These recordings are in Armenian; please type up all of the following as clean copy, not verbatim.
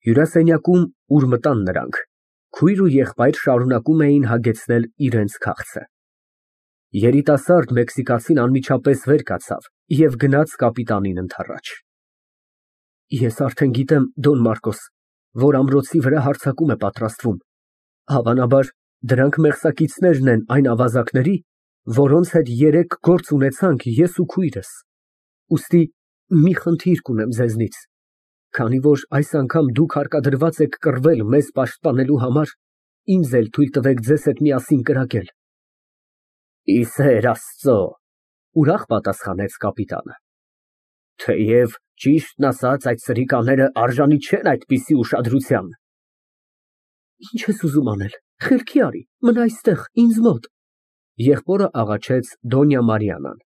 Հյուրասենյակում, ուր մտան նրանք, քույր ու եղբայր շարունակում էին հագեցնել իրենց քաղցը։ Երիտասարդ մեքսիկացին անմիջապես վեր կացավ և գնաց կապիտանին ընդառաջ։ Ես արդեն գիտեմ, Դոն Մարկոս, որ ամրոցի վրա հարձակում է պատրաստվում, հավանաբար դրանք մեղսակիցներն են այն ավազակների, որոնց հետ երեկ գործ ունեցանք ես ու քույրս, ուստի մի խնդիր կունեմ ձեզնից, քանի որ այս անգամ դուք հարկադրված եք կռվել մեզ պաշտպանելու համար, ինձ էլ թույլ տվեք ձեզ հետ միասին կրակել։ Ի սեր Աստծո, ուրախ պատասխանեց կապիտանը։ Թեև ճիշտն ասած այդ սրիկաները արժանի չեն այդպիսի ուշադրության։ Ինչ ես ուզում անել, խելքի արի, մնա այստեղ, ինձ մոտ։ Եղբորը աղաչեց Դոնյա Մարիանան։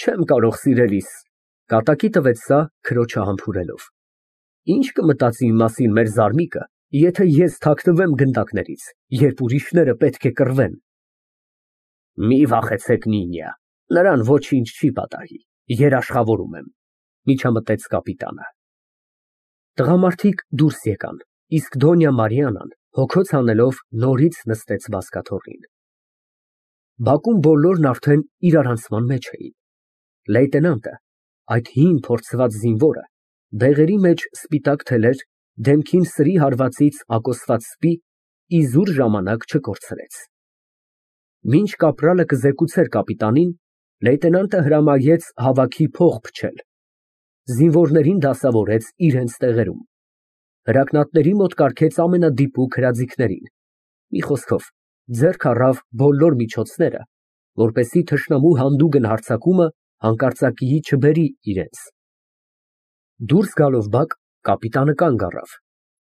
Չեմ կարող, սիրելիս, կատակի տվեց սա քրոջը համբուրելով։ Ինչ կմտածի իմ մասին մեր զարմիկը, եթե ես թաքնվեմ գնդակներից, երբ ուրիշները պետք է կռվեն։ Մի վախեցեք, Նինյա, նրան ոչինչ չի պատահի, երաշխավորում եմ, միջամտեց կապիտանը։ Տղամարդիկ դուրս եկան, իսկ Դոնյա Մարիանան, հոգոց հանելով, նորից նստեց բազկաթոռին։ Բակում բոլորն արդեն իրարանցման մեջ էին։ Լեյտենանտը, այդ հին փորձված զինվորը, բեղերի մեջ սպիտակ թելեր, դեմքին սրի հարվածից ակոսված սպի, իզուր ժամանակ չկորցրեց։ Մինչ կապրալը կզեկուցեր կապիտանին, լեյտենանտը հրամայեց հավաքի փող փչել։ Զինվորներին դասավորեց իրենց տեղերում։ Հրակնատների մոտ կարգեց ամենադիպուկ հրաձիգներին։ Մի խոսքով, ձեռք առավ բոլոր միջոցները, որպեսզի թշնամու հանդուգն հարձակումը հանկարծակիի չբերի իրենց։ Դուրս գալով բակ, կապիտանը կանգ առավ,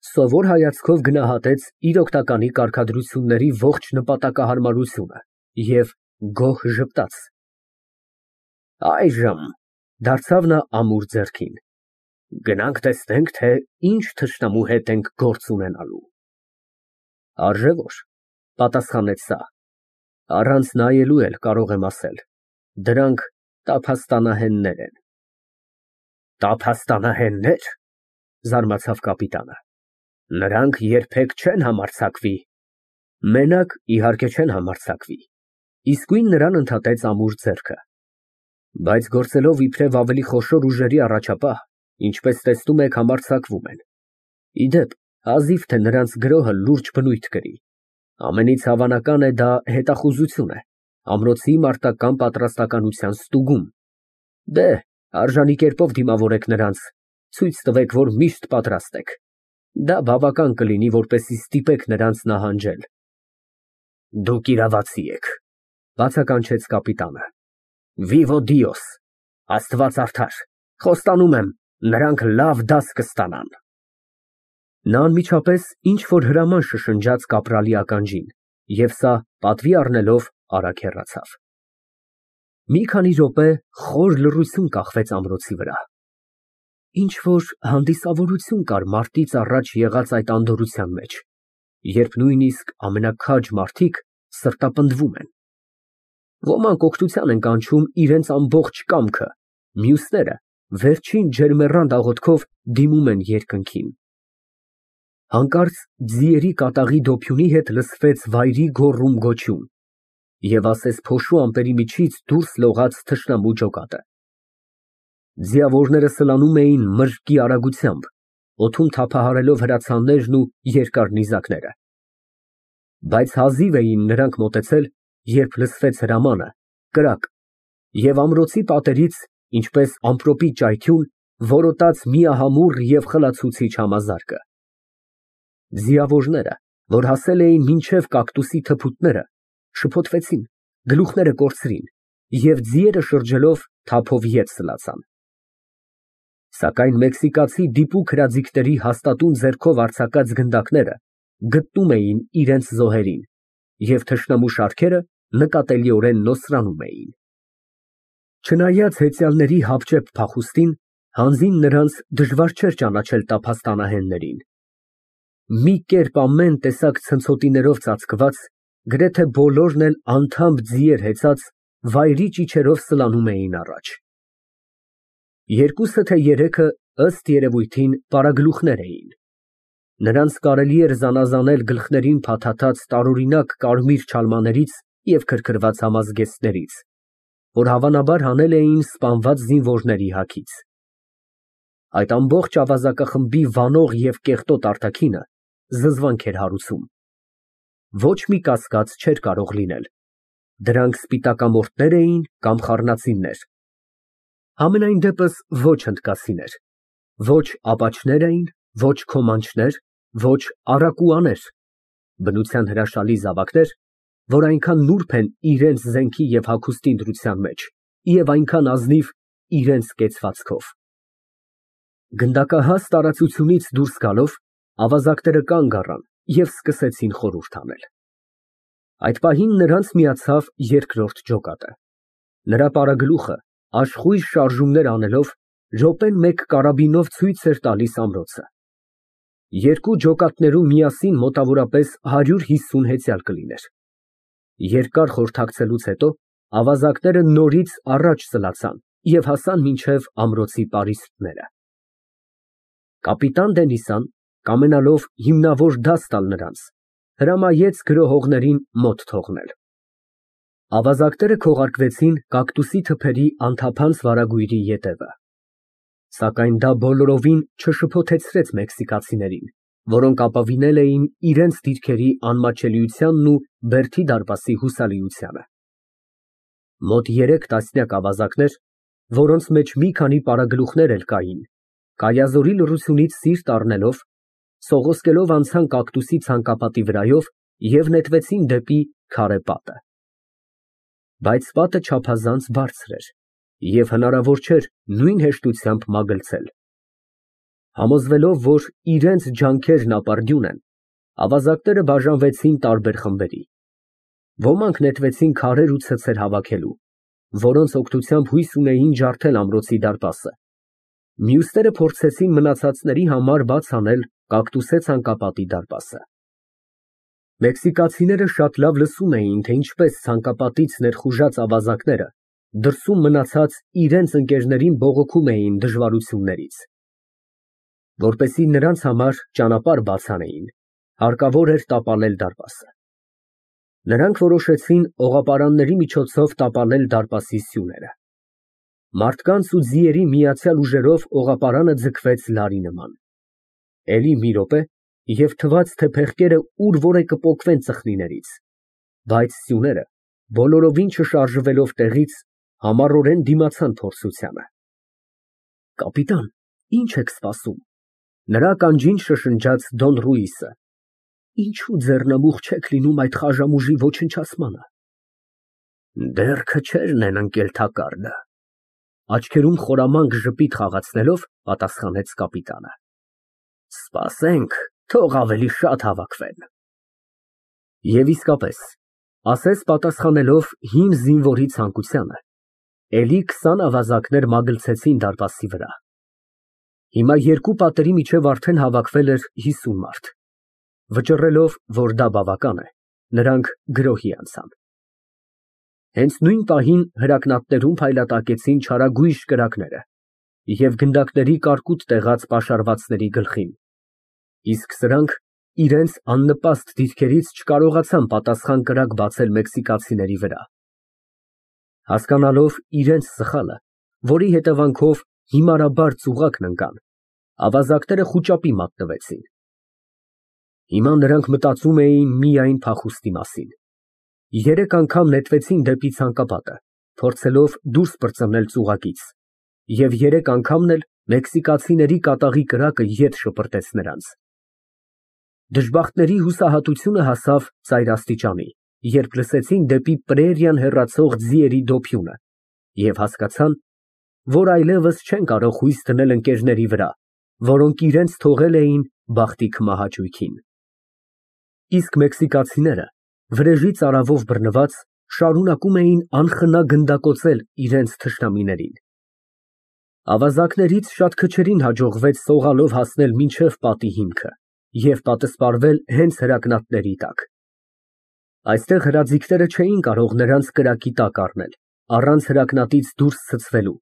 սովոր հայացքով գնահատեց իր օգնականի կարգադրությունների ողջ նպատակահարմարությունը և գոհ ժպտաց։ Այժմ, դարձավ նա ամուր ձեռքին, գնանք տեսնենք, թե ինչ թշնամու հետ ենք գործ ունենալու։ Արժե որ, պատասխանեց սա, առանց նայելու էլ կարող եմ ասել, դրանք տափաստանահեններ են։ Տափաստանահեննե՞ր, զարմացավ կապիտանը, նրանք երբեք չեն համարձակվի։ Մենակ, իհարկե, չեն համարձակվի, իսկույն նրան ընդհատեց ամուր ձեռքը։ Բայց գործելով իբրև ավելի խոշոր ուժերի առաջապահ, ինչպես տեսնում եք, համարձակվում են։ Ի դեպ, հազիվ թե նրանց գրոհը լուրջ բնույթ կրի։ Ամենից հավանական է դա հետախուզություն է, ամրոցի մարտական պատրաստականության ստուգում։ Դե, արժանի կերպով դիմավորեք նրանց, ցույց տվեք, որ միշտ պատրաստ եք։ Դա բավական կլինի, որպեսզի ստիպեք նրանց նահանջել։ Դուք իրավացի եք, բացականչեց կապիտանը։ Վիվո Դիոս, Աստված արդար, խոստանում եմ, նրանք լավ դաս կստանան։ Նա անմիջապես ինչ-որ հրաման շշնջաց կապրալի ականջին, և սա պատվի առնելով արագ հեռացավ։ Մի քանի րոպե խոր լռություն կախվեց ամրոցի վրա։ Ինչ-որ հանդիսավորություն կար մարտից առաջ եղած այդ անդորրության մեջ, երբ նույնիսկ ամենաքաջ մարդիկ սրտապնդվում են։ Ոմանք օգնության են կանչում իրենց ամբողջ կամքը, մյուսները վերջին ջերմեռանդ աղոթքով դիմում են երկնքին։ Հանկարծ ձիերի կատաղի դոփյունի հետ լսվեց վայրի գոռում֊գոչյուն, և ասես փոշու ամպերի միջից դուրս լողաց թշնամու ջոկատը։ Ձիավորները սլանում էին մրրկի արագությամբ, օդում թափահարելով հրացաններն ու երկար նիզակները։ Բայց հազիվ էին նրանք մոտեցել, երբ լսվեց հրամանը, կրակ, և ամրոցի պատերից, ինչպես ամպրոպի ճայթյուն, որոտաց միահամուռ և խլացուցիչ համազարկը։ Ձիավորները, որ հասել էին մինչև կակտուսի թփուտները, շփոթվեցին, գլուխները կորցրին և ձիերը շրջելով թափով ետ սլացան։ Սակայն մեքսիկացի դիպուկ հրաձիգների հաստատուն ձեռքով արձակած գնդակները գտնում էին իրենց զոհերին, և թշնամու շարքերը նկատելիորեն նոսրանում էին։ Չնայած հեծյալների հապճեպ փախուստին, հանձին նրանց դժվար չէր ճանաչել տափաստանահեններին։ Մի կերպ ամեն տեսակ ցնցոտիներով ծածկված, գրեթե բոլորն էլ անթամբ ձիեր հեծած, վայրի ճիչերով սլանում էին առաջ։ Երկուսը թե երեքը ըստ երևույթին պարագլուխներ էին։ Նրանց կարելի էր զանազանել գլխներին փաթաթած տարօրինակ կարմիր չալմաներից և քրքրված համազգեստներից, որ հավանաբար հանել էին սպանված զինվորների հագից։ Այդ ամբողջ ավազակախմբի վանող և կեղտոտ արտաքինը զզվանք էր հարուցում։ Ոչ մի կասկած չէր կարող լինել. դրանք սպիտակամորթներ էին կամ խառնածիններ։ Համենայն դեպս ոչ հնդկացիներ, ոչ ապաչներ էին, ոչ քոմանչներ, ոչ առակուաներ, բնության հրաշալի զավակներ, որ այնքան նուրբ են իրենց զենքի և հագուստի ընտրության մեջ և այնքան ազնիվ իրենց կեցվածքով։ Գնդակահաս տարածությունից դուրս գալով, ավազակները կանգ առան և սկսեցին խորհուրդ անել։ Այդ պահին նրանց միացավ երկրորդ ջոկատը։ Նրա պարագլուխը, աշխույժ շարժումներ անելով, րոպեն մեկ կարաբինով ցույց էր տալիս ամրոցը։ Երկու ջոկատներում միասին մոտավորապես 150 հեծյալ կլիներ։ Երկար խորհրդակցելուց հետո ավազակները նորից առաջ սլացան և հասան մինչև ամրոցի պարիսպները։ Կապիտան Դենիսան, կամենալով հիմնավոր դաս տալ նրանց, հրամայեց գրոհողներին մոտ թողնել։ Ավազակները քողարկվեցին կակտուսի թփերի անթափանց վարագույրի ետևը։ Սակայն դա բոլորովին չշփոթեցրեց մեքսիկացիներին, որոնք ապավինել էին իրենց դիրքերի անմատչելիությանն ու բերդի դարպասի հուսալիությանը։ Մոտ 3 տասնյակ ավազակներ, որոնց մեջ մի քանի պարագլուխներ էլ կային, կայազորի լռությունից սիրտ առնելով, սողոսկելով անցան կակտուսի ցանկապատի վրայով և նետվեցին դեպի քարե պատը։ Բայց պատը չափազանց բարձր էր, և հնարավոր չէր նույն հեշտությամբ մագլցել։ Համոզվելով, որ իրենց ջանքերն ապարդյուն են, ավազակները բաժանվեցին տարբեր խմբերի։ Ոմանք նետվեցին քարեր ու ցցեր հավաքելու, որոնց օգնությամբ հույս ունեին ջարդել ամրոցի դարպասը։ Մյուսները փորձեցին մնացածների համար բաց անել կակտուսե ցանկապատի դարպասը։ Մեքսիկացիները շատ լավ լսում էին, թե ինչպես ցանկապատից ներխուժած ավազակները դրսում մնացած իրենց ընկերներին բողոքում էին դժվարություններից։ Որպեսզի նրանց համար ճանապարհ բաց անեին, հարկավոր էր տապալել դարպասը։ Նրանք որոշեցին օղապարանների միջոցով տապալել դարպասի սյուները։ Մարդկանց ու ձիերի միացյալ ուժերով օղապարանը ձգվեց լարի նման։ Էլի մի րոպե, և թվաց, թե փեղկերը ուր որ է կպոկվեն ծխնիներից, բայց սյուները, բոլորովին չշարժվելով տեղից, համառորեն դիմացան փորձությանը։ Կապիտան, ի՞նչ եք սպասում, նրա ականջին շշնջաց Դոն Ռուիսը։ Ինչու ձեռնամուխ չեք լինում այդ խաժամուժի ոչնչացմանը։ Դեռ քչերն են ընկել թակարդը, աչքերում խորամանկ ժպիտ խաղացնելով պատասխանեց կապիտանը։ Սպասենք, թող ավելի շատ հավաքվեն։ Եվ իսկապես, ասես պատասխանելով հին զինվորի ցանկությանը, էլի 20 ավազակներ մագլցեցին դարպասի վրա։ Հիմա երկու պատերի միջև արդեն հավաքվել էր 50 մարդ։ Վճռելով, որ դա բավական է, նրանք գրոհի անցան։ Հենց նույն պահին հրակնատներում փայլատակեցին չարագույժ կրակները և գնդակների կարկուտ տեղած պաշարվածների գլխին, իսկ սրանք իրենց աննպաստ դիրքերից չկարողացան պատասխան կրակ բացել մեքսիկացիների վրա։ Հասկանալով իրենց սխալը, որի հետևանքով հիմարաբար ծուղակն ընկան, ավազակները խուճապի մատնվեցին։ Հիմա նրանք մտածում էին միայն փախուստի մասին։ 3 անգամ նետվեցին դեպի ցանկապատը, փորձելով դուրս պրծմնել ծուղակից, և 3 անգամն էլ մեքսիկացիների կատաղի կրակը ետ շպրտեց նրանց։ Դժբախտների հուսահատությունը հասավ ծայրաստիճանի, երբ լսեցին դեպի պրերիան հեռացող ձիերի դոփյունը և հասկացան, որ այլևս չեն կարող հույս դնել ընկերների վրա, որոնք իրենց թողել էին բախտի քմահաճույքին։ Իսկ մեքսիկացիները, վրեժի ծարավով բռնված, շարունակում էին անխնա գնդակոծել իրենց թշնամիներին։ Ավազակներից շատ քչերին հաջողվեց սողալով հասնել մինչև պատի հիմքը և պատսպարվել հենց հրակնատների տակ։ Այստեղ հրաձիգները չէին կարող նրանց կրակի տակ առնել, առանց հրակնատից դուրս ցցվելու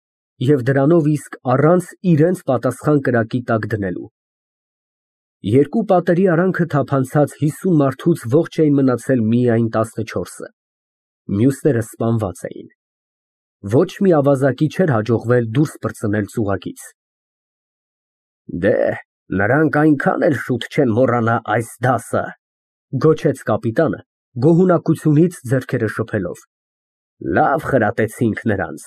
և դրանով իսկ առանց իրենց պատասխան կրակի տակ դնելու։ Երկու պատերի արանքը թափանցած 50 մարդուց ողջ էին մնացել միայն 14-ը, մյուսները սպանված էին։ Ոչ մի ավազակի չէր հաջողվել դուրս պրծնել ծուղակից։ Դե, նրանք այնքան էլ շուտ չեն մոռանա այս դասը, գոչեց կապիտանը, գոհունակությունից ձեռքերը շփելով։ Լավ խրատեցինք նրանց։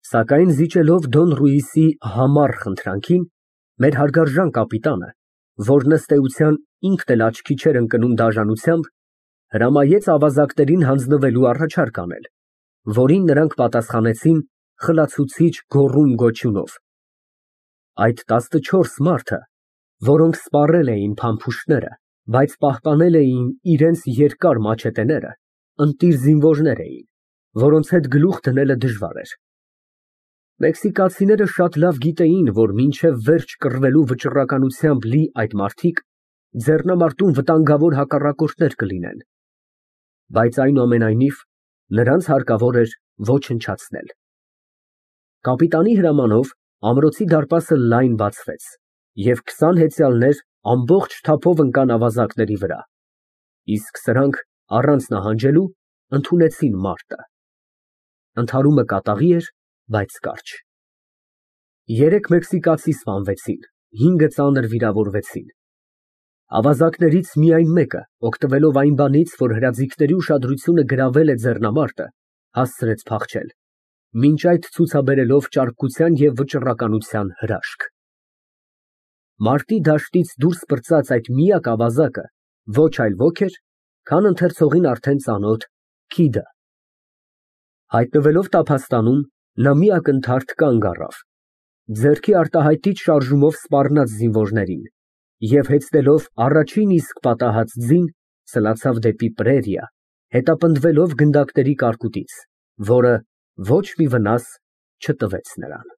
Սակայն զիջելով Դոն Ռուիսի համառ խնդրանքին, մեր հարգարժան կապիտանը, որն ըստ էության ինքն էլ աչքի չէր ընկնում դաժանությամբ, հրամայեց ավազակներին հանձնվելու առաջարկ անել, որին նրանք պատասխանեցին խլացուցիչ գոռում֊գոչյունով։ Այդ 14 մարդը, որոնք սպառել էին փամփուշտները, բայց պահպանել էին իրենց երկար մաչետեները, ընտիր զինվորներ էին, որոնց հետ գլուխ դնելը դժվար էր։ Մեքսիկացիները շատ լավ գիտեին, որ մինչև վերջ կռվելու վճռականությամբ լի այդ մարդիկ ձեռնամարտում վտանգավոր հակառակորդներ կլինեն, բայց այնուամենայնիվ նրանց հարկավոր էր ոչնչացնել։ Կապիտանի հրամանով ամրոցի դարպասը լայն բացվեց, և 20 հեծյալներ ամբողջ թափով ընկան ավազակների վրա, իսկ սրանք առանց նահանջելու ընդունեցին մարտը։ Ընդհարումը կատաղի էր, բայց կարճ։ 3 մեքսիկացի սպանվեցին, 5-ը ծանր վիրավորվեցին։ Ավազակներից միայն մեկը, օգտվելով այն բանից, որ հրաձիգների ուշադրությունը գրավել է ձեռնամարտը, հասցրեց փախչել, մինչ այդ ցուցաբերելով ճարպկության և վճռականության հրաշք։ Մարտի դաշտից դուրս պրծած այդ միակ ավազակը ոչ այլ ոք էր, քան ընթերցողին արդեն ծանոթ Քիդը։ Հայտնվելով տափաստանում, նա մի ակնթարթ կանգ առավ, ձեռքի արտահայտիչ շարժումով սպառնաց զինվորներին և հեծնելով առաջին իսկ պատահած ձին, սլացավ դեպի պրերիա, հետապնդվելով գնդակների կարկուտից, որը ոչ մի վնաս չտվեց նրան։